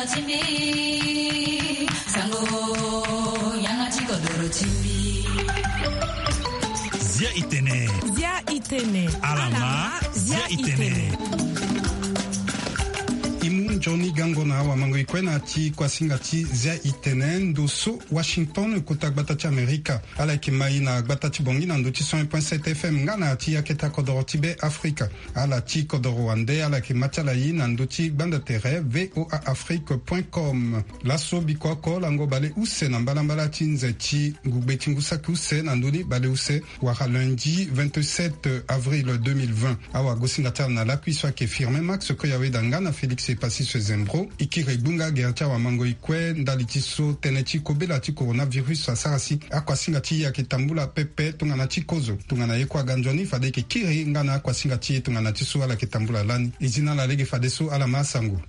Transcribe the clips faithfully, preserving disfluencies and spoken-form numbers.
Zia itene. Zia itene. Alama, zia itene. I mu nzoni gango na awamango i kue na ti kuasinga ti zia itene ndo so Washington, kota gbata ti Amerika. Ala yeke ma i na gbata ti Bongi na ndö ti cent un point sept F M nga na ti akete akodoro ti Be Afrika. Ala ti kodoro wande ala yeke ma ti ala i na ndö ti gbanda tere V O A Afrique point com. Laso biko oko lango baleuse na mbalambala ti nze ti ngugbe ti ngu saki use na ndö ni baleuse wala lundi vingt-sept avril deux mille vingt. Awagosinga ti ala na lakui so ayeke Firmin Max Koyaweda nga na Félix Epasis Zembro. E kiri gbunga gere ti awamango e kue ndali ti so tënë ti kobela ti coronavirus asara si akuasinga ti e ayeke tambula pepe tongana ti kozo. Tongana ye kue aga nzoni fade e yeke kiri nga na akuasinga ti e tongana ti so ala yeke tambula lani. E zi na ala lege fadeso ala ma asango.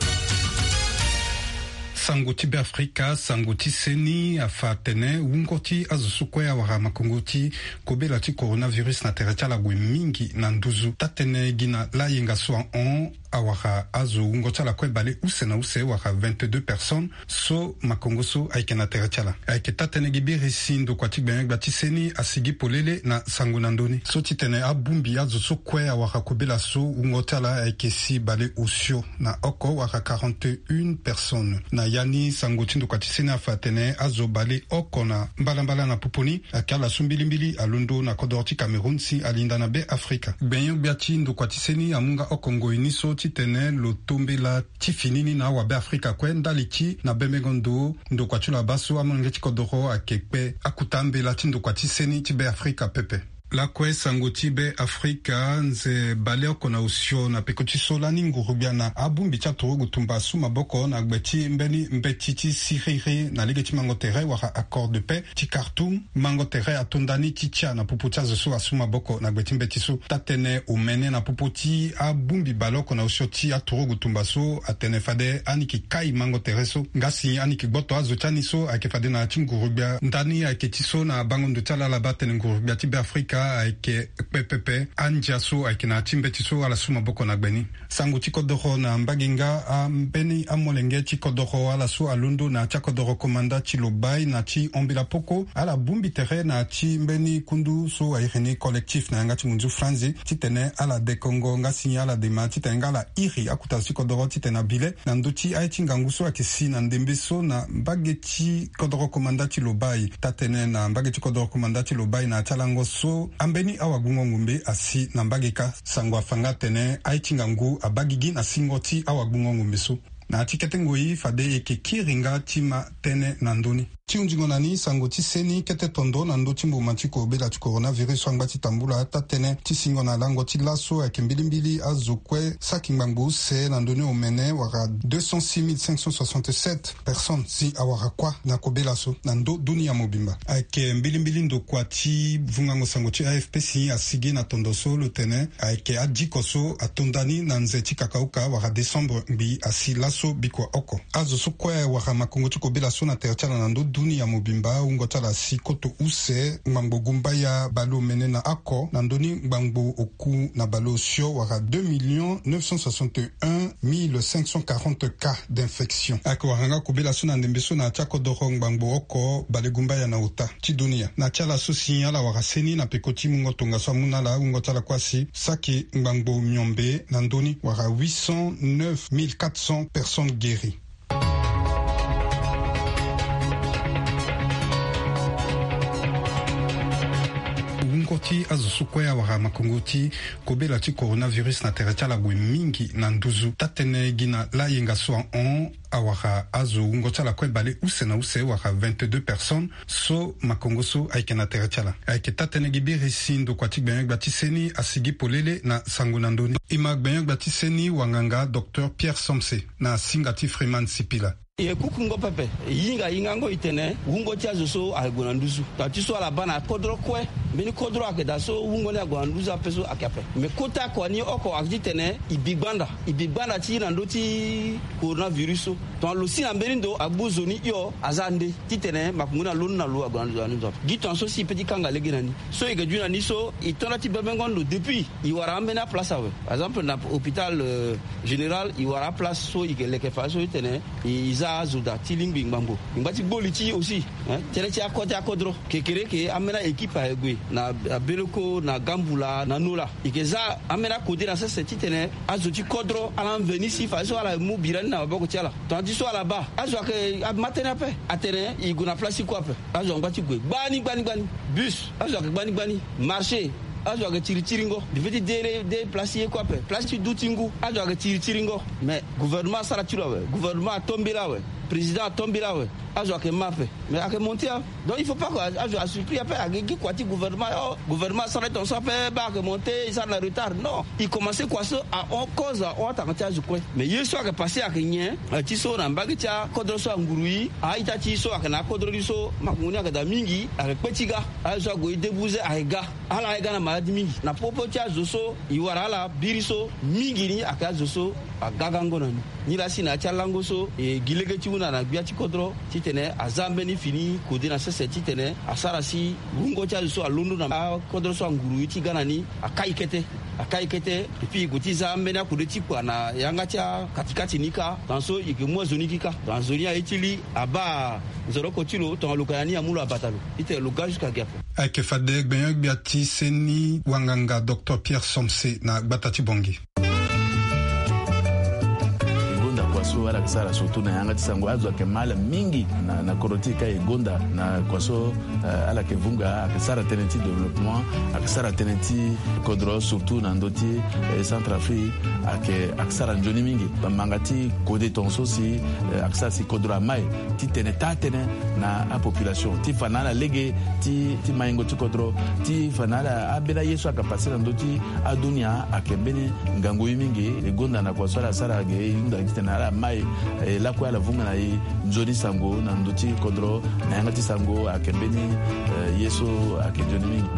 Sango ti Be Afrika, sango ti seni afa atene wungo ti azo so kue awara makongo ti kobela ti coronavirus na tere ti ala ague mingi na nduzu. Taa-tënë gi na layenga so ahon awara azo wungo ti ala kue baleuse na use wala vingt-deux personnes so makongo so ayeke na tere ti ala. Ayeke taa-tënë gi biri si ndokua ti gbenyo-gbia ti seni asigi polele na sango na ndö ni so titene abongbi azo so kue awara kobela so wungo ti ala ayeke si baleosio na oko wala quarante et une personnes. Na ya ni sango ti ndokua ti seni afa atene azo baleoko na mbalambala na popo ni ayeke ala so mbilimbili alondo na kodoro ti Cameroun si alinda na Be Afrika. Gbenyo-gbia ti ndokua ti seni amu nga oko ngoi ni so titene lo to mbela ti fini ni na awabe Afrika kue ndali ti na bembengo ndo ndokua ti lo abaa so amolenge ti kodoro ayeke kpe akuta mbela ti ndokua ti seni ti Be Afrika pepe. Lakue sango ti Be Afrika, nze baleoko na osio na peko ti so lani nguru-gbia na abongbi ti aturugu tumba asu maboko na gbe ti mbeni mbeti ti siriri na lege ti mango tere wala accord de paix ti Khartoum. Mango tere ato nda ni ti tia na popo ti azo so asu maboko na gbe ti mbeti so. Taa-tënë omene na popo ti abongbi baleoko na osio ti aturugu tumba so atene fade ani yeke kai mango tere so nga si ani yeke gboto azo ti ani so ayeke fade na ya ti nguru-gbia nda ni ayeke ti so na bango ndo ti ala ala baa atene nguru-gbia ti Be Afrika ayeke kpe pepe andia so ayeke na ya ti mbeti so ala su maboko na gbe ni. Sango ti kodoro na mbage nga ambeni amolenge ti kodoro ala so alondo na ya ti akodoro komanda ti lobai na ti ombela poko ala bongbi tere na ya ti mbeni kundu so airi ni collectif na yanga ti munzu franzi titene ala dekongo nga si ala dema titene nga ala iri akuta zo ti kodoro titene abile na ndö ti aye ti ngangu so ayeke si na ndembe so na mbage ti kodoro komanda ti lobai. Taa-tënë na mbage ti kodoro komanda ti lobai na ya ti alango so ambeni awagbungo ngombe asi na mbage kâ. Sango afa nga atene aye ti ngangu abaa gigi na singo ti awagbungo ngombe so. Na ya ti kete ngoi fade e yeke kiri nga ti ma tënë na ndö ni. Ti hunzingo na ni sango ti seni kete tondo na ndö ti mboma ti kobela ti coronavirus so angba ti tambula taa-tënë ti singo na lango ti laso ayeke mbilimbili azo kue saki ngbangbo use na ndö ni omene wala deux cent six mille cinq cent soixante-sept personnes si awara kuâ na kobela so na ndö dunia mobimba. Ayeke mbilimbili ndokua ti vungango sango ti A F P si asigi na tondo so lo tene ayeke adiko so ato nda ni na nze ti kakauka wala décembre ngbii asi laso bikua oko. Azo so kue awara makongo ti kobela so na tere ti ala na ndö dunia mobimba wungo ti ala asi koto use ngbangbo gumbaya baleomene na oko na ndö ni ngbangbo oku na baleosio wala deux millions neuf cent soixante et un mille cinq cent quarante cas d'infection. Ayeke wara nga kobela so na ndembe so na ya ti akodoro ngbangbo oko balegumbaya na ota ti dunia. Na ti ala so si ala wara seni na peko ti mungo tongaso amu na ala wungo ti ala kue asi saki ngbangbo miombe na ndö ni wala huit cent neuf mille quatre cents personnes guéries. Wungo ti azo so kue awara makongo ti kobela ti coronavirus na tere ti ala ague mingi na nduzu. Taa-tënë gi na layenga so ahon awara azo wungo ti ala kue baleuse na use wala vingt-deux personnes so makongo so ayeke na tere ti ala. Ayeke taa-tënë gi biri si ndokua ti gbenyo-gbia ti seni asigi polele na sango na ndö ni. E ma gbenyo-gbia ti seni wanganga docteur Pierre Somse na singa ti Freeman Sipila. E kukungo pepe, e hinga hingango e tene wungo ti azo so ayeke gue na nduzu. Tongana ti so ala baa na kodro kue, mbeni kodro ayeke daa so wungo ni ague na nduzu ape so ayeke ape. Me kota kua ni oko ayeke ti tene e bi gbanda, e bi gbanda ti e na ndö ti coronavirus so. Tongana lo si na mbeni ndo abu zo ni hio aza nde titene makongo ni alondo na lo ague na ndo. Gi tongana so si e pe ti kanga lege na ni so e ke du na ni so e to nda ti bebengo ndo depuis e wara ambeni aplace awe. Par exemple na hôpital général e wara aplace so e ke leke fa so e tene e za azo daa ti lingbi ngbangbo. E ngba ti gbo li ti e aussi. Tënë ti akode akodro kekereke ambeni aekipe aye gue na abeleko na gambula na nola. E ke za ambeni akode na sese titene azo ti kodro ala mveni si fa so ala mu bira ni na maboko ti ala. Tongana ti so ala baa azo ayeke ama tënë ape. Atene e gue na place ti kue ape. Azo angba ti gue gbani gbani gbani. Bus azo ayeke gbani gbani. Marché azo ayeke tiri tiringo. Di feti de place ti ye kue ape place ti du ti ngu azo ayeke tiri tiringo. Mais gouvernement asara ti lo awe. Gouvernement ato mbela awe. Président ato mbela awe. Azo ayeke ma ape. Mais ayeke monté a. Donc il faut pas que azo asupri ape ayeke gi kua ti gouvernement. Oh, gouvernement asara ti tonso ape baa ayeke monté e sara na retard non. E commencé kua so ahon cause ahon atanga ti azo kue. Mais ye so ayeke passé ayeke nyen? Ti so na mbage ti akodro so anguru e a-ita ti so ayeke na akodro ni so makongo ni ayeke daa mingi ayeke kpe ti ga. Aye so ague e debuze ayeke ga. Ala ayeke ga na maladi mingi na popo ti azo so e wara ala biri so mingi ni ayeke azo so aga gango na ni. Nilaa si na ya ti alango so e gi lege ti hunda na gbia ti kodro titene aza mbeni fini kode na sese titene asara si wungo ti azo so alondo na akodro so anguru e ti ga na ni akai kete. Akai kete. Epui e gue ti za ambeni akode ti kua na yanga ti akatikati ni kâ. Tongana so e ke mu azo ni gi kâ tongana zo ni aye ti li abaa nzoroko ti lo tongana lo ka na ni amu lo abata lo. Titene lo ga jusqu'à gi ape. Ayeke fade gbenyo-gbia ti seni wanganga docteur Pierre Somse na gbata ti Bangui. E gonda kua so ala yeke sara surtout na yanga ti sango azo ayeke ma ala mingi na kodro ti e ka e gonda na kua so ala yeke vunga ayeke sara tënë ti développement. Ayeke sara tënë ti kodro surtout na ndö ti Centrafrique. Ayeke ayeke sara nzoni mingi. Manga ti kode tongaso si ayeke sara si kodro amai titene taa tënë na apopulation ti fa na ala lege ti maingo ti kodro ti fa na ala ambeni aye so ayeke pase na ndö ti adunia ayeke mbeni ngangu ye mingi. E gonda na kua so ala sara ge e hunda titene ala mai lakue ala vunga na e nzoni sango na ndö ti kodro na yanga ti sango ayeke mbeni ye so ayeke nzoni mingi.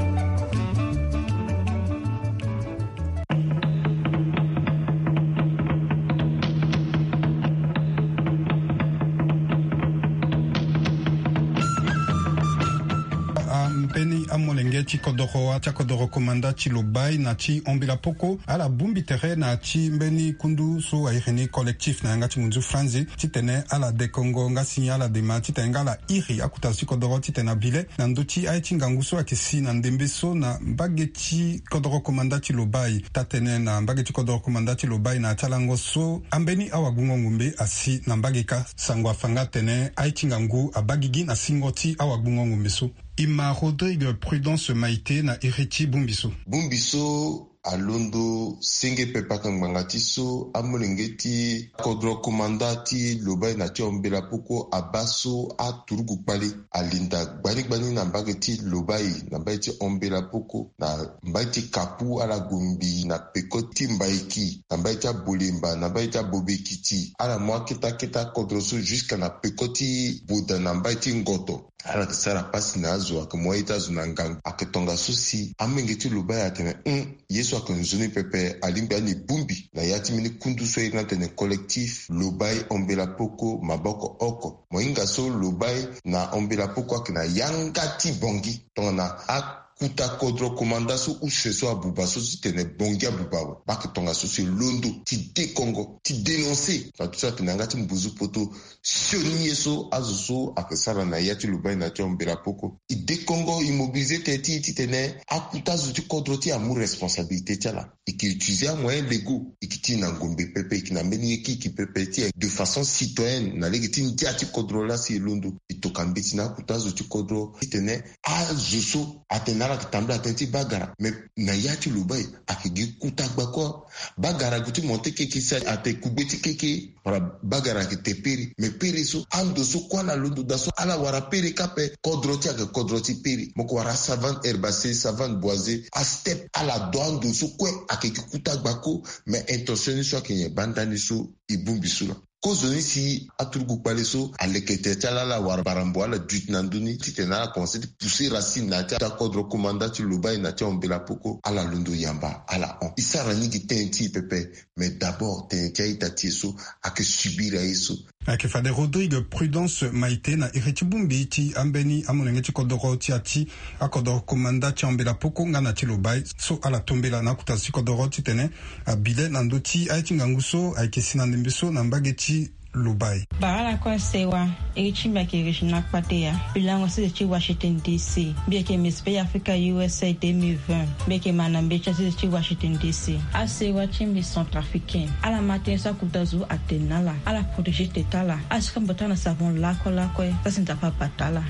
Ambeni amolenge ti kodoro ti akodoro komanda ti Lobaye na ti Ombela Poko ala bongbi tere na ti mbeni kundu so a iri ni collectif na yanga ti munzu franzi titene ala dekongo nga si ala dema titene nga ala iri akuta zo ti kodoro titene abile na ndö ti aye ti ngangu so ayeke si na ndembe so na mbage ti kodoro komanda ti Lobaye. Taa-tënë na mbage ti kodoro komanda ti Lobaye na ya ti alango so ambeni awagbungo ngombe asi na mbage kâ. Sango afa nga atene aye ti ngangu abaa gigi na singo ti awagbungo ngombe so. E ma Rodrigue Prudence Maite na iri ti bongbi so. Bongbi so alondo senge pepe aka ngbanga ti so amolenge ti kodro komanda ti Lobaye na ti Ombela Poko abaa so aturugu kpale alinda gbani gbani na mbage ti Lobaye na mbage ti Ombela Poko na mbage ti Kapu ala gue ngbii na peko ti Mbaiki na mbage ti Abolemba na mbage ti Abobekiti ala mu aketa keta kodro so jusqu'à na peko ti Boda na mbage ti Ngoto. Ala yeke sara pasi na azo ayeke mu aye ti azo na ngangu ayeke tongaso si amolenge ti Lobaye atene hum ye so ayeke nzoni pepe alingbi ani bongbi na ya ti mbeni kundu so aye ni atene collectif Lobaye Ombela Poko maboko oko. Mo hinga so Lobaye na Ombela Poko ayeke na yanga ti Bangui tongana a kuta kodro komanda so use so abuba so titene Bangui abuba awe. Baa ayeke tongaso si e londo ti dekongo ti dénoncer na ti so ayeke na yanga ti mbuzu poto sioni ye so azo so ayeke sara na ya ti Lobaye na ti Ombela Poko. E dekongo e mobiliser tënë ti e titene akuta zo ti kodro ti e amu responsabilité ti ala. E ke utiliser amoyen légaux e ke ti na ngombe pepe e ke na mbeni ye kiki pepe ti e de façon citoyenne na lege ti ndia ti kodro laa si e londo e toka mbeti na akuta zo ti kodro titene azo so atene ala yeke tambula tënë ti bagara mais na ya ti Lobaye ayeke gi kuta gba kue. Bagara ague ti monte keke si atene kugbe ti keke wala bagara ayeke te pere mais pere so ando so kue ala londo daa so ala wara pere kâ ape. Kodro ti e ayeke kodro ti pere mo yeke wara asavane herbacée, savane boisée, asteppe ala do ando so kue ayeke gi kuta gba ko. Mais intention ni so ayeke nyen baa ndani so e bongbi so laa. Kozo ni si aturugu kpale so aleke tere ti ala ala wara barambo ala duti na ndö ni titene ala commencer ti pousser racine na ya ti akodro komanda ti Lobaye na ti Ombela Poko ala londo yamba ala hon. E sara ni gi tënë ti e pepe mais d'abord tënë ti a-ita ti e so ayeke subir aye so. Ayeke fade Rodrigue Prudence Maite na iri ti bongbi ti ambeni amolenge ti kodoro ti ya ti akodoro komanda ti ambela poko nga na ti lobai so ala tombela na akuta ti kodoro titene abile na ndö ti aye ti ngangu so ayeke si na ndembe so na mbage ti lobai. Bara lakue sewa. Iri ti mbi ayeke Regina Kpateya, mbi lango sese ti Washington D C. Mbi yeke Miss Bay Africa U S A deux mille vingt. Mbi yeke ma na mbeti sese ti Washington D C. Asewa ti mbi centrafricain, ala ma tënë so akuta zo atene na ala, ala protéger tete ala, ala sika mbi bata na savon lakue lakue, za si Nzapa abata ala.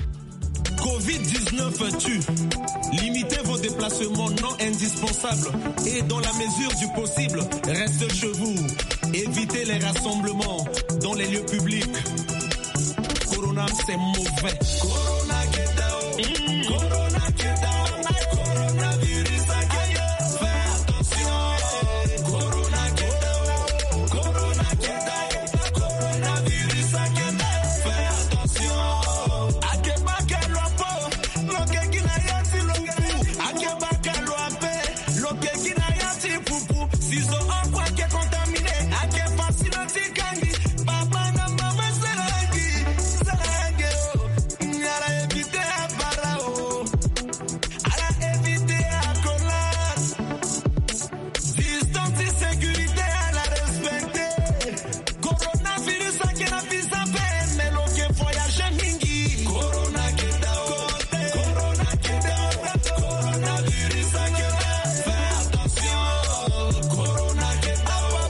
Covid dix-neuf tue. Limitez vos déplacements non indispensables et, dans la mesure du possible, restez chez vous. Évitez les rassemblements dans les lieux publics. Corona, c'est mauvais. Corona, get down. Corona, get down. Coronavirus, I get down. Fais attention. Corona, get down. Corona, get down. Coronavirus, I get down. Fais attention. Ake baka lo ape. Lo ke gi na ya ti lo nge. Ake baka lo ape. Lo ke gi na ya ti pupu. Si zo oko ake contaminé, ake facile ti kangi. Papa na mama, salangi, salangi, oh. Ala éviter abara, oh. Ala éviter akolas. Distance ti sécurité, ala respecter. Coronavirus ake na visa pe, mais lo ke voyager mingi. Corona ke da o, corona ke da o, coronavirus ake da. Fais attention. Corona ke da o,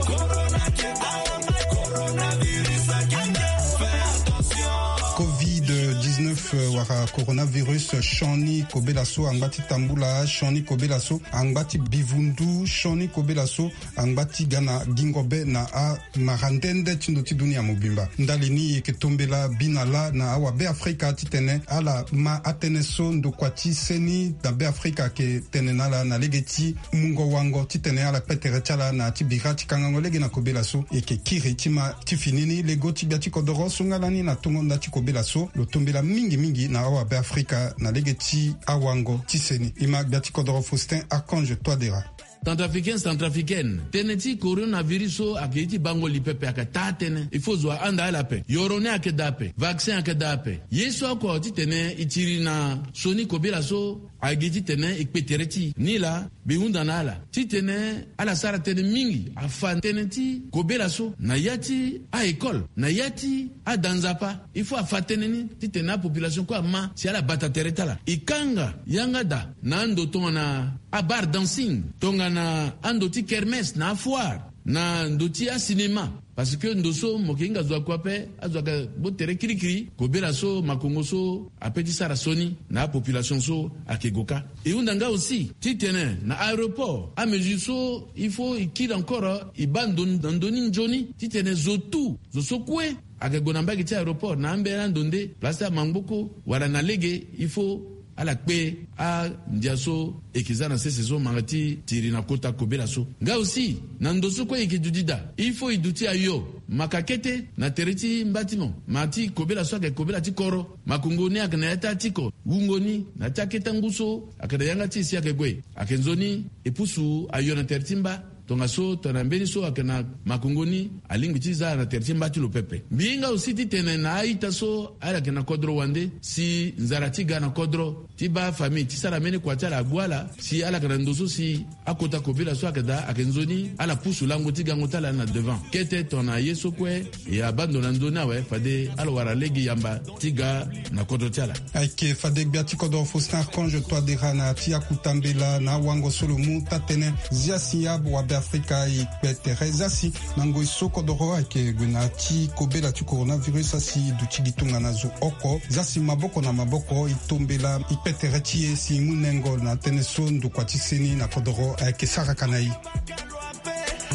corona ke da o, coronavirus ake da. Fais attention. Covid dix-neuf, euh, wala coronavirus, sioni kobela so angba ti tambula, sioni kobela so angba ti bivundu, sioni kobela so angba ti ga na gingo be na amara nde nde ti ndo ti dunia mobimba. Ndali ni e yeke tombela bi na lâ na awabe Afrika titene ala ma atënë so ndokua ti seni na be Afrika ayeke tene na ala na lege ti mungo wango titene ala kpe tere ti ala na ya ti bira ti kangango lege na kobela so. E yeke kiri ti ma ti fini ni lego ti gbia ti kodoro so nga lani na tongo nda ti kobela so lo tombela mingi mingi na awabe Afrika na lege ti awango ti seni. E ma gbia ti kodoro Faustin Archange Touadéra. Centrafricain, centrafricaine, tënë ti coronavirus so ayeke ye ti bango li pepe, ayeke taa tënë. Il faut zo ahanda ala ape. Yoro ni ayeke daa ape. Vaccin ayeke daa ape. Ye so oko titene e tiri na sioni kobela so, ayeke titene e kpe tere ti e. Nilaa mbi hunda na ala titene ala sara tënë mingi, afa tënë ti kobela so na ya ti a-école, na ya ti ada nzapa. Il faut afa tënë ni titene apopulation kue ama si ala bata tere ti ala. E kanga yanga daa na ando tongana abar dancing, tongana ando ti kermesse na afoire, na ndo ti acinéma. Parce que ndo so mo yeke hinga zo akue ape, azo ayeke gbu tere kirikiri, kobela so makongo so ape ti sara sioni na apopulation so ayeke gue kâ. E hunda nga aussi titene na aéroport amesure so il faut e kiri encore, e baa ndo na ndö ni nzoni titene zo tout, zo so kue ayeke gue na mbage ti aéroport na ambeni ando nde, place ti amangboko wala na lege, il faut ala kpe andia so e yeke za na sese so, manga ti tiri na kota kobela so. Nga aussi na ndo so kue e yeke duti daa, il faut e duti ayo maka kete na tere ti mba ti mo, ma ti kobela so ayeke kobela ti koro. Makongo ni ayeke na ya ti atiko, wungo ni na ya ti akete ngu so ayeke na yanga ti e si ayeke gue. Ayeke nzoni e pusu ayo na tere ti mba. Tongaso tongana mbeni so ayeke na makongo ni alingbi ti za na tere ti mba ti lo pepe. Mbi hinga aussi titene na a-ita so ala yeke na kodro wande, si nzara ti ga na kodro ti baa famille ti sara mbeni kua ti ala agbu ala, si ala yeke na ndo so si akota kobela so ayeke daa, ayeke nzoni ala pusu lango ti gango ti ala na devant. Kete tongana ye so kue e abaa ndo na ndö ni awe, fade ala wara lege yamba ti ga na kodro ti ala. Ayeke fade gbia ti kodro Faustin Archange Touadéra na ya ti akuta mbela na awango so lo mu taa-tënë. Zia si awabe Afrika e kpe tere, zia si na ngoi so kodoro ayeke gue na ya ti kobela ti coronavirus asi e duti gi tongana zo oko, zia si maboko na maboko e tombela e kpe tere ti e si e mu nengo na tënë so ndokua ti seni na kodoro ayeke saraka na e.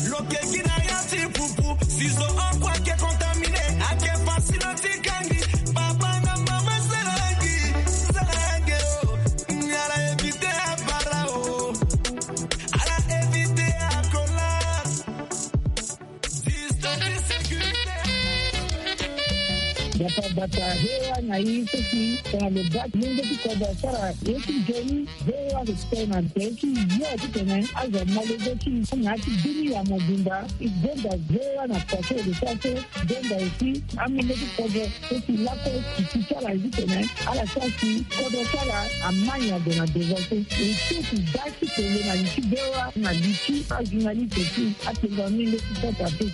Lo ke gi na ya ti pupu, si zo oko ayeke contaminé, ayeke facile ti kangi. Papa na mama, salangi, salangi, oh. Ala éviter abara, oh. Ala éviter akolas. Distance de sécurité. Bata bata hewa na i seki tongana lo bati lenge ti kodro asara ye ti joni. Hewa lo tene na te ti yo ti tene azo malezo ti na ti bini ya mobimba. I gbenda hewa na pase lo sa so gbenda esi amenge ti kodro so si lako ti ti ti ala zi tene ala sa si kodro ti ala amani ado na devant so. E so ti da ti tele na li ti bewa na li ti ajournaliste ti atenga mingi ti kota te.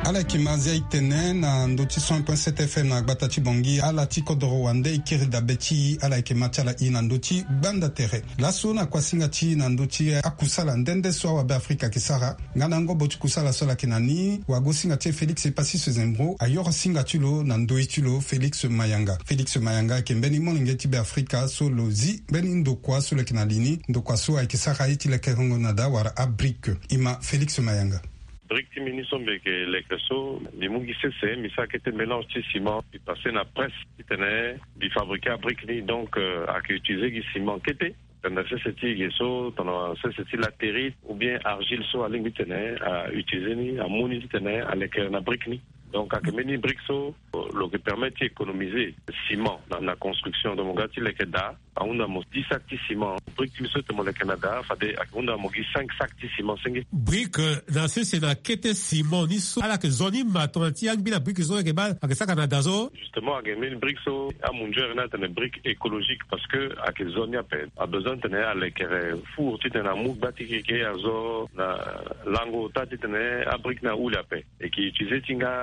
Ala yeke ma azia e tene na ndö ti cent point sept F M na gbata ti Bangui. Ala ti kodoro wande e kiri dabe ti e. Ala yeke ma ti ala e na ndö ti gbanda tere. Laso na kuasinga ti e na ndö ti akusala nde nde so awabe Afrika ayeke sara. Nga na ngobo ti kusala so ala yeke na ni, wagosinga ti e Félix Epassis Zembro ayoro singa ti lo na ndö ti lo Félix Mayanga. Félix Mayanga ayeke mbeni molenge ti Beafrika so lo zi mbeni ndokua so lo yeke na li ni. Ndokua so ayeke sara ye ti lekerengo na daa wala abrique. E ma Félix Mayanga. Brique ti mbi ni so mbi yeke leke so, mbi mu gi sese, mbi sara kete mélange ti ciment, mbi passe na presse titene mbi fabriquer abrique ni. Donc, euh, ayeke utiliser gi ciment kete. Tongana sese ti ge so, tongana sese ti latérite ou bien argile so alingbi titene a utiliser ni, amu ni titene aleke na brique ni. Donc ayeke mbeni brique so lo yeke permettre ti économiser ciment na, na construction. Donc mo ga ti leke daa, ahunda mo dix sacs ti ciment. Brique ti mbi so tene mo leke na daa, fade ayeke hunda mo gi cinq sacs ti ciment senge. Brique, euh, na sese na kete ciment ni so, ala yeke zo ni ma tongana ti angbi na brique so ayeke baa ayeke saka na daa so. Justement, ayeke mbeni brique so amunzere ni atene brique écologique, parce que ayeke zo ni ape. Abezoin titene alekere four titene amu gba ti keke azo na lango ota titene abrique ni ahule ape. E yeke utiliser ti nga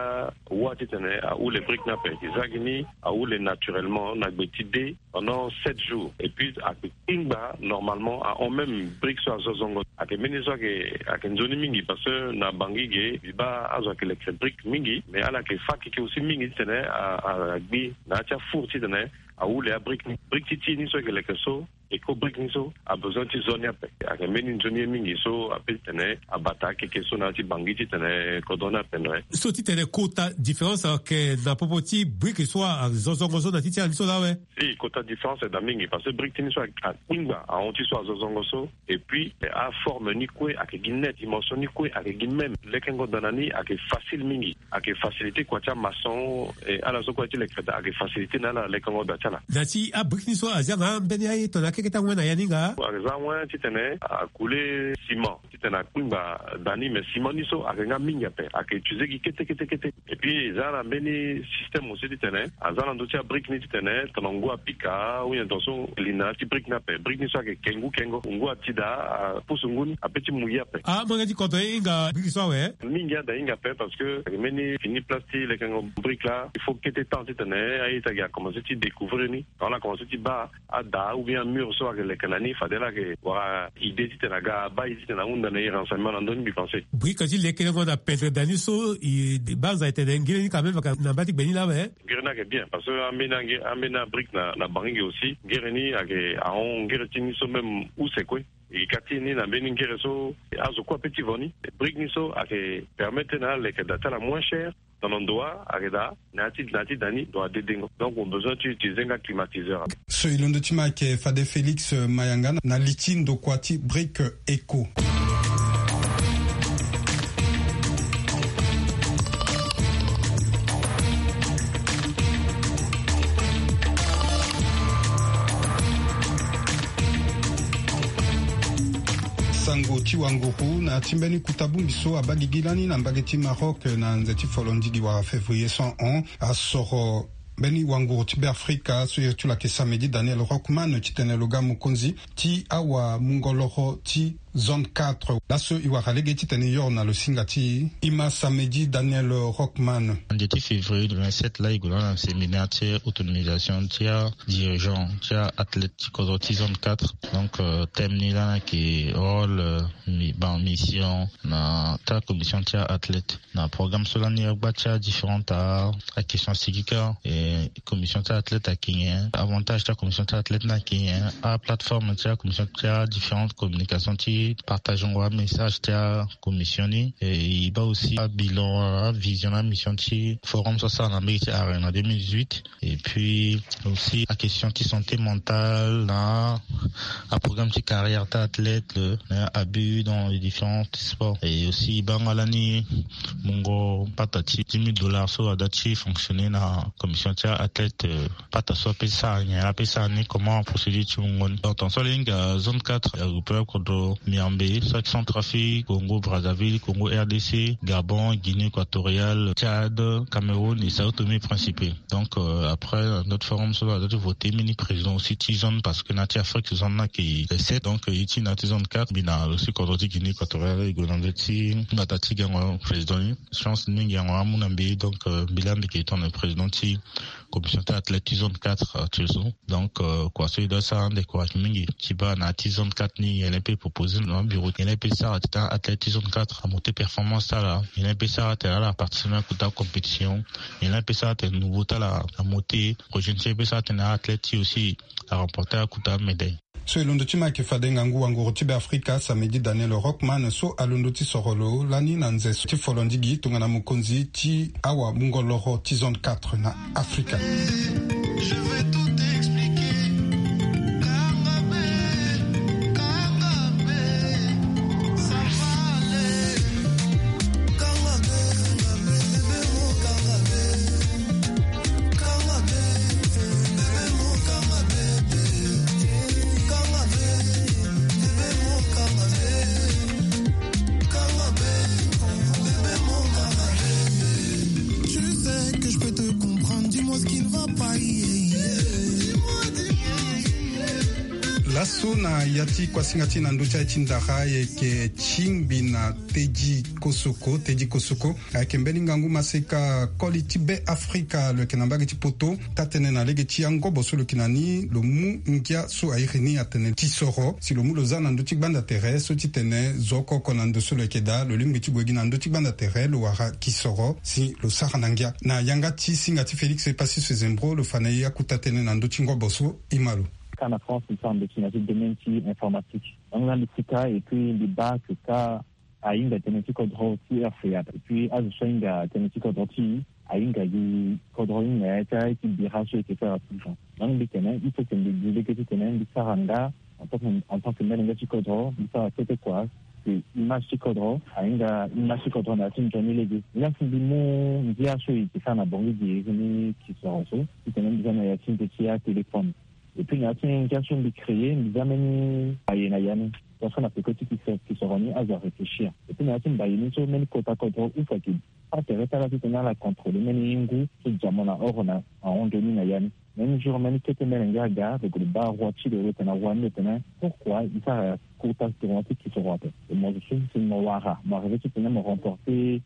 wâ titene ahule brique ni ape. E za gi ni ahule naturellement na gbe ti de pendant sept jours. Et puis ayeke kpingba normalement ahon même brique so azo zongo. Ayeke mbeni so ayeke, ayeke nzoni mingi parce que na Bangui ge mbi baa azo ayeke leke brique mingi, mais ala yeke fâ keke aussi mingi titene a, a, agbi na ya ti afour titene ahule abrique ni. Brique ti ti ni so ayeke leke so, éco brique ni so abezoin ti zo ni ape. Ayeke mbeni nzoni ye mingi so ape titene abata akeke so na ya ti Bangui titene kodro ni ape no. So titene kota différence ayeke na popo ti brique so azo zongo so na ti ti ala ni so laa awe? Si, kota différence ayeke daa mingi parce que brique ti ni so akpingba ahon ti so azo zongo so. Et puis aforme ni kue ayeke gi net, dimension ni kue ayeke gi même, lekengo daa na ni ayeke facile mingi. Ayeke facilité kua ti amaçon, e ala so kue ti leke daa ayeke facilité na ala lekengo daa ti ala. Na ti abrique ni so azia nga mbeni aye tongana akeke ti awen na ya ni nga? Ayeke za awen titene akule ciment titene akpingba daa ni, mais ciment ni so ayeke nga mingi ape, ayeke utiliser gi kete kete kete. Et puis e za na mbeni système aussi titene aza na ndö ti abrique ni titene tongana ngu apika ou bien tongaso li na ya ti brique ni ape. Brique ni so ayeke ke ngu kengo, ngu ati daa apusu ngu ni ape ti mu ye ape. Ah, mo yeke ti kodro e hinga brique so awe? Mingi ada hinga ape parce que ayeke mbeni fini place ti lekengo brique laa, il faut kete temps titene aye ti agi akomanse ti découvrir ni. Tongana ala komanse ti baa ada ou bien amur so ayeke leke na ni, fade ala yeke wara idée titene aga abaa e titene ahunda na e renseignement na ndö ni, mbi pense. Brique ti lekerengo na pendre daa ni so, e banza e tene ngere ni quand même ayeke na mba ti gbe ni laa awe? Ngere ni ayeke bien parce que ambeni ange, ambeni abrique na, na Bangui aussi, ngere ni ayeke ahon ngere ti ni so même use kue. E ka ti ni na mbeni ngere so azo kue ape ti vo ni. Brique ni so ayeke permettre na aleke daa ti ala moins cher. Tongana ndo wa ayeke daa na ya ti, na ya ti da ni ndo wa dedengo. Donc mo besoin ti utiliser nga climatiseur. So e londo ti ma ayeke fade Félix Mayanga na li ti ndokua ti brique éco. Sango ti wanguru na ya ti mbeni kuta bongbi so abaa gigi lani na mbage ti Maroc na nze ti folondidi wala février so ahon asoro mbeni wanguru ti Beafrika so iri ti lo ayeke Samedi Daniel Rockman titene lo ga mokonzi ti awamungo loro ti Zone quatre laso e wara lege titene e yoro na lo singa ti e. E ma Samedi Daniel Rockman. Ande ti février le vingt-sept laa e gue na ala na séminaire ti autonomisation ti adirigeant ti aathlète ti kodro ti zone quatre. Donc thème ni laa na yeke rôle, ban mission na ti acommission ti aathlète. Na programme so lani agba ti adifférente a, aquestion sigi kâ. E commission ti aathlète ayeke nyen? Avantage ti acommission ti aathlète ni ayeke nyen? Aplateforme ti acommission ti adifférente communication ti partagengo amessage ti acommission ni. E e baa aussi abilan, avision na mission ti forum so asara na mbege ti arena deux mille dix-huit. Et puis aussi aquestion ti santé mentale na aprogramme ti carrière ti athlète, na abus dans les différents sports. Et aussi e baa nga lani mungo pata ti dix mille dollars so ada ti fonctionner na commission ti athlète. Pata so ape sara nyen, ape sara ni comment, procédure ti mungo ni. Donc tant so ala hinga zone quatre, aregroupé kodro miambe so ayeke Centrafrique, Congo Brazzaville, Congo R D C, Gabon, Guinée Équatoriale, Tchad, Cameroun et Sao Tomé Principe. Donc après notre forum so ada ti voter mbeni président aussi ti zone, parce que na ti Afrique zone ni ayeke sept. Donc e ti na ti zone quatre mbi na lo si kodro ti Guinée Équatoriale e gue na ndö ti mbata ti gango président ni. Chance mingi yango amu na mbi. Donc mbi laa mbi yeke tongana président ti commission ti athlète ti zone quatre actuel so. Donc kua so e doit sara ande kua ayeke mingi ti baa na ti zone quatre ni, nyen laa e peut proposer na abureau, nyen laa e peut sara titene athlète ti zone quatre amonter performance ti ala, nyen laa e peut sara titene ala participer na kota compétition, nyen laa e peut sara titene nouveau ti ala amonter, projet ni so e peut sara titene athlète ti aussi aremporter akota médaille. So e londo ti ma ayeke fade ngangu wanguru ti Beafrika Samedi Daniel Rockman so alondo ti soro lo lani na nze so ti folondigi tongana mokonzi ti awa mungo loro ti zone quatre na Afrika. Laso na ya ti kuasinga ti na ndö ti aye ti ndara, e yeke tingbi na Teddy Kosoko. Teddy Kosoko ayeke mbeni ngangu maseka koli ti Beafrika, lo yeke na mbage ti poto. Taa-tënë na lege ti angobo so lo yeke na ni, lo mu ngia so airi ni atene kisoro si lo mu lo za na ndö ti gbanda tere so titene zo oko oko na ndo so lo yeke daa, lo lingbi ti gue gi na ndö ti gbanda tere lo wara kisoro si lo sara na ngia. Na yanga ti singa ti Félix Epacius Zembro lo fa na e akuta tënë na ndö ti ngobo so. E ma lo. Ka na France mbi sara ndo ti na ya ti domaine ti informatique. Donc na mbi sika et puis mbi baa que ka ahinga tënë ti kodro ti R F A. Et puis azo so ahinga tënë ti kodro ti e ahinga gi kodro ni na ya ti aye ti bira so e yeke sara ti. Donc mbi tene il faut que mbi gi lege titene mbi sara nga en tant que, en tant que molenge ti kodro, mbi sara kete kua. Que image ti kodro ahinga image ti kodro na ya ti nzoni lege. Laa si mbi mu ngia so e yeke sara na bongi gi iri ni kisoro so titene mbi za na ya ti nze ti atéléphone. Et puis na ya ti ngia so mbi créer, mbi za mbeni aye na ya ni. Tongaso na peko ti kisoro ni azo aréfléchir. Et puis na ya ti mbaye ni so mbeni kota kodro use ayeke pâ tere ti ala titene ala contrôler mbeni ngu so dia mo na oro na ahon nzoni na ya ni. Même jour mbeni kete mbeni ngia aga lo gue lo baa roi ti lo, lo tene na roi ni, lo tene pourquoi e sara kota tournoi ti kisoro ape? E mo zo so si mo wara mo arriver titene mo remporter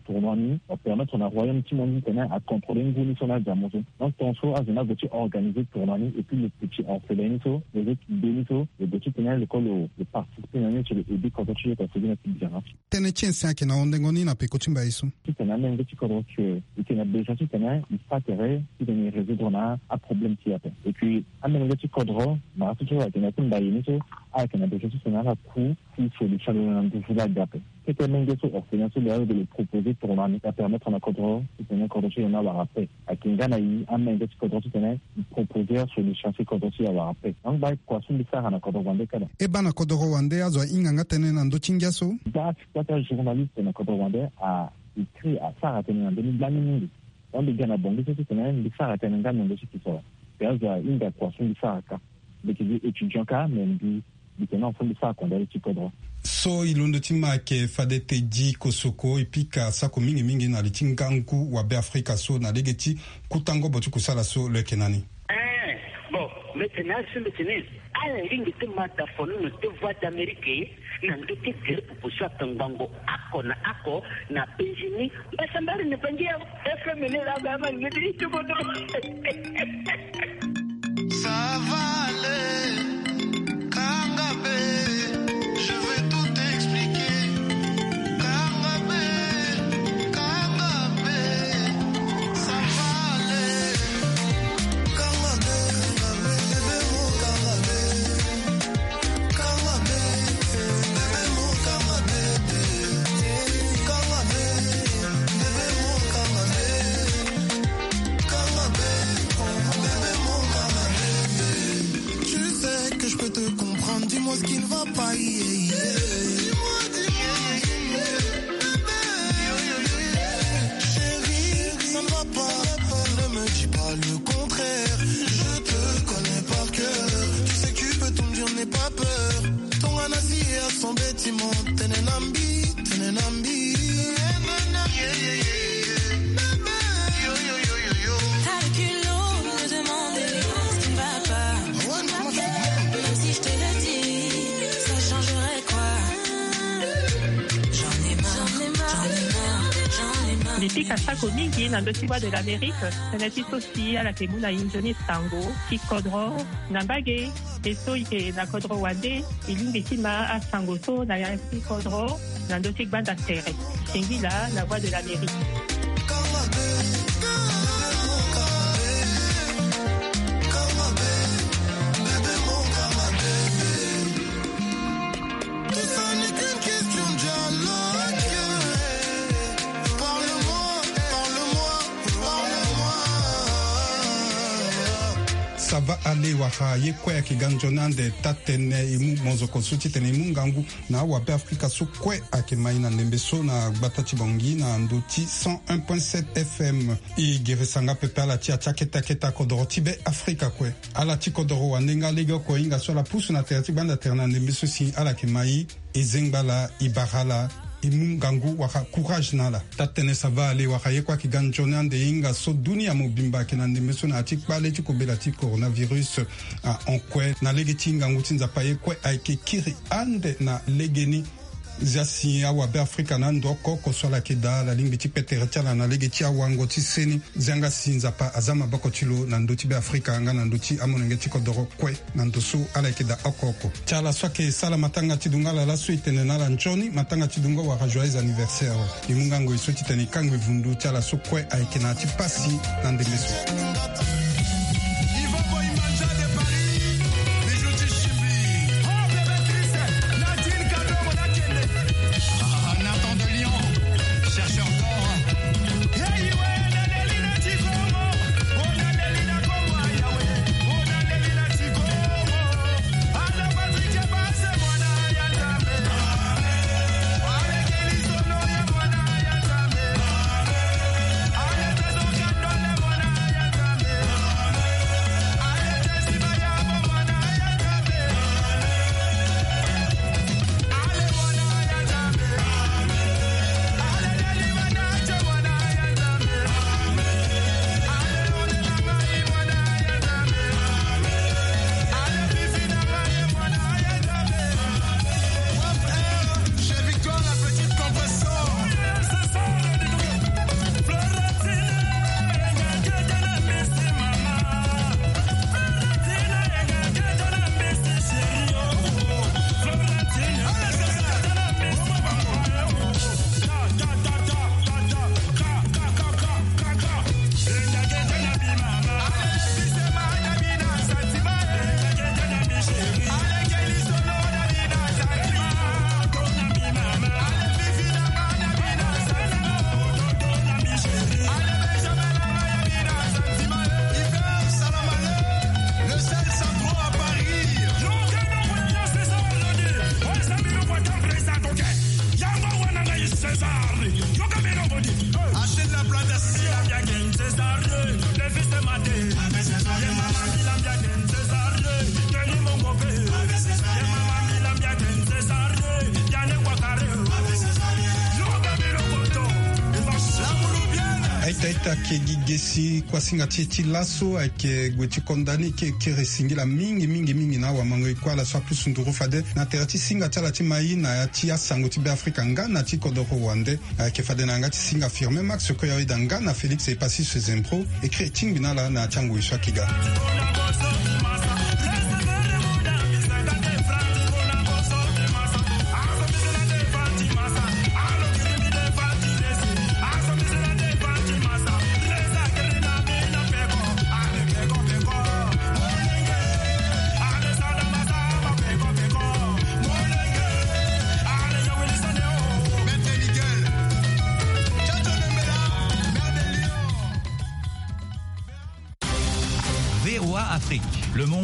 tournoi ni, mo permettre na royaume ti mo ni titene acontrôler ngu ni so na adia mo so. Donc tongaso azo ni ague ti organiser tournoi ni et puis lo petit orphelin ni so, lo zo ti be ni so lo gue titene lo kue lo participer na ni sur le ebi kodro ti lo ta sigi na ti bira. Tënë ti ensin ayeke na hondengo ni na peko ti mbaye so. Titene amolenge ti kodro que e yeke na besoin titene e pâ tere titene e résoudre na aproblème ti e ape. Et puis amolenge ti kodro na aso so ayeke na ya ti mbaye ni so ayeke na besoin titene ala ku ti solution lo na nduzu laa aga ape. Kete menge so orphelin so lo ya lo proposer tournoi ni apermettre na kodro titene kodro ti lo ni awara paix. Ayeke nga na e amenge ti kodro titene e proposer asolution si kodro ti e awara paix. Donc baa kua so mbi sara na kodro wande kâ laa. E baa na kodro wande azo ahinga nga tënë na ndö ti ngia so. Baa si kua ti ajournaliste na kodro wande a écrit asara tënë na ndö ni lani mingi. Donc mbi ga na bongi so titene mbi sara tënë nga na ndö ti kisoro. Mbi azo ahinga kua so mbi sara kâ. Mbi yeke gi étudiant kâ mais mbi mbi tene na fo mbi sara kondali ti kodro. So e londo ti ma ayeke fade Teddy Kosoko, e pika sako mingi mingi na li ti ngangu wa Beafrika so na lege ti kuta ngobo ti kusala so lo yeke na ni. Eh, bon. Mete na asu mete ni. Ala lingbi ti ma ta fono na te Voix d'Amérique na ndö ti gere popo so ape ngbongo oko na oko na penzi ni. Mbasambari na bangi ya F M ni la ba ma ni ti ituko to. Ça va aller, kanga be, je vais tout expliquer. Kanga be, kanga be, ça va aller. Tu sais que je peux te comprendre, dis-moi ce qui ne va pas, yeah, yeah. Dis-moi, dis-moi, yeah, yeah. Chérie, ça ne va pas. Ne me dis pas le contraire. Je te connais par cœur. Tu sais que tu peux tout me dire, n'aie pas peur. Ton anasi a son bâtiment. Tenenambi, tenenambi. T'as le culot de demander ce qui ne va pas. Même si je te le dis, ça changerait quoi ? J'en ai marre, j'en ai marre, j'en ai marre. Mbi pika sako mingi na ndö ti Voix de l'Amérique. Tënë ti so si ala yeke mu na e nzoni sango ti kodro na mbage. E so e yeke na kodro wande, e lingbi ti ma asango so na ya ti kodro na ndö ti gbanda tere. Singila na Voix de l'Amérique. Ça va aller, wara ye kue ayeke ga nzoni ande taa-tënë. E mu monzoko so titene e mu ngangu na awabe Afrika so kue ayeke mai na ndembe so na gbata ti Bangui na ndö ti cent un point sept F M. E gere sanga pepe ala ti ya ti akete akete akodoro ti be Afrika kue. Ala ti kodoro wande nga legeoko e hinga so ala pusu na tere ti gbanda tere na ndembe so si ala yeke mai. E zengba ala, e bara ala, e mu ngangu wala courage na ala. Taa-tënë, ça va aller, wala ye kue ayeke ga nzoni ande e hinga so dunia mobimba ayeke na ndembe so na ya ti kpale ti kobela ti coronavirus. Ahon kue na lege ti ngangu ti Nzapa ye kue ayeke kiri ande na legeni. Zia si awabe Afrika na ando oko oko so ala yeke daa, ala lingbi ti pe tere ti ala na lege ti awango ti seni. Zia nga si Nzapa aza maboko ti lo na ndö ti be Afrika nga na ndö ti amolenge ti kodoro kue na ndo so ala yeke daa oko oko. Ti ala so ayeke sala matanga ti dungala laso e tene na ala nzoni matanga ti dungo wala joyeux anniversaire. E mu ngangu e so titene e kangbi vundu ti ala so kue ayeke na ya ti pasi na ndembe so. Ita ke gi gesi kuasinga ti e ti laso ayeke gue ti konda ni ke kere singila mingi mingi mingi na awamango e kue ala so apusu nduru fade na tere ti singa ti ala ti mai na ya ti asango ti Beafrika nga na ti kodoro wande. Ayeke fade na yanga ti singa Firmin Max Koyaoida nga na Félix Epassis Sezempro. Ekri e tingbi na ala na ya ti angoi so ayeke ga. V O A Afrique, le monde.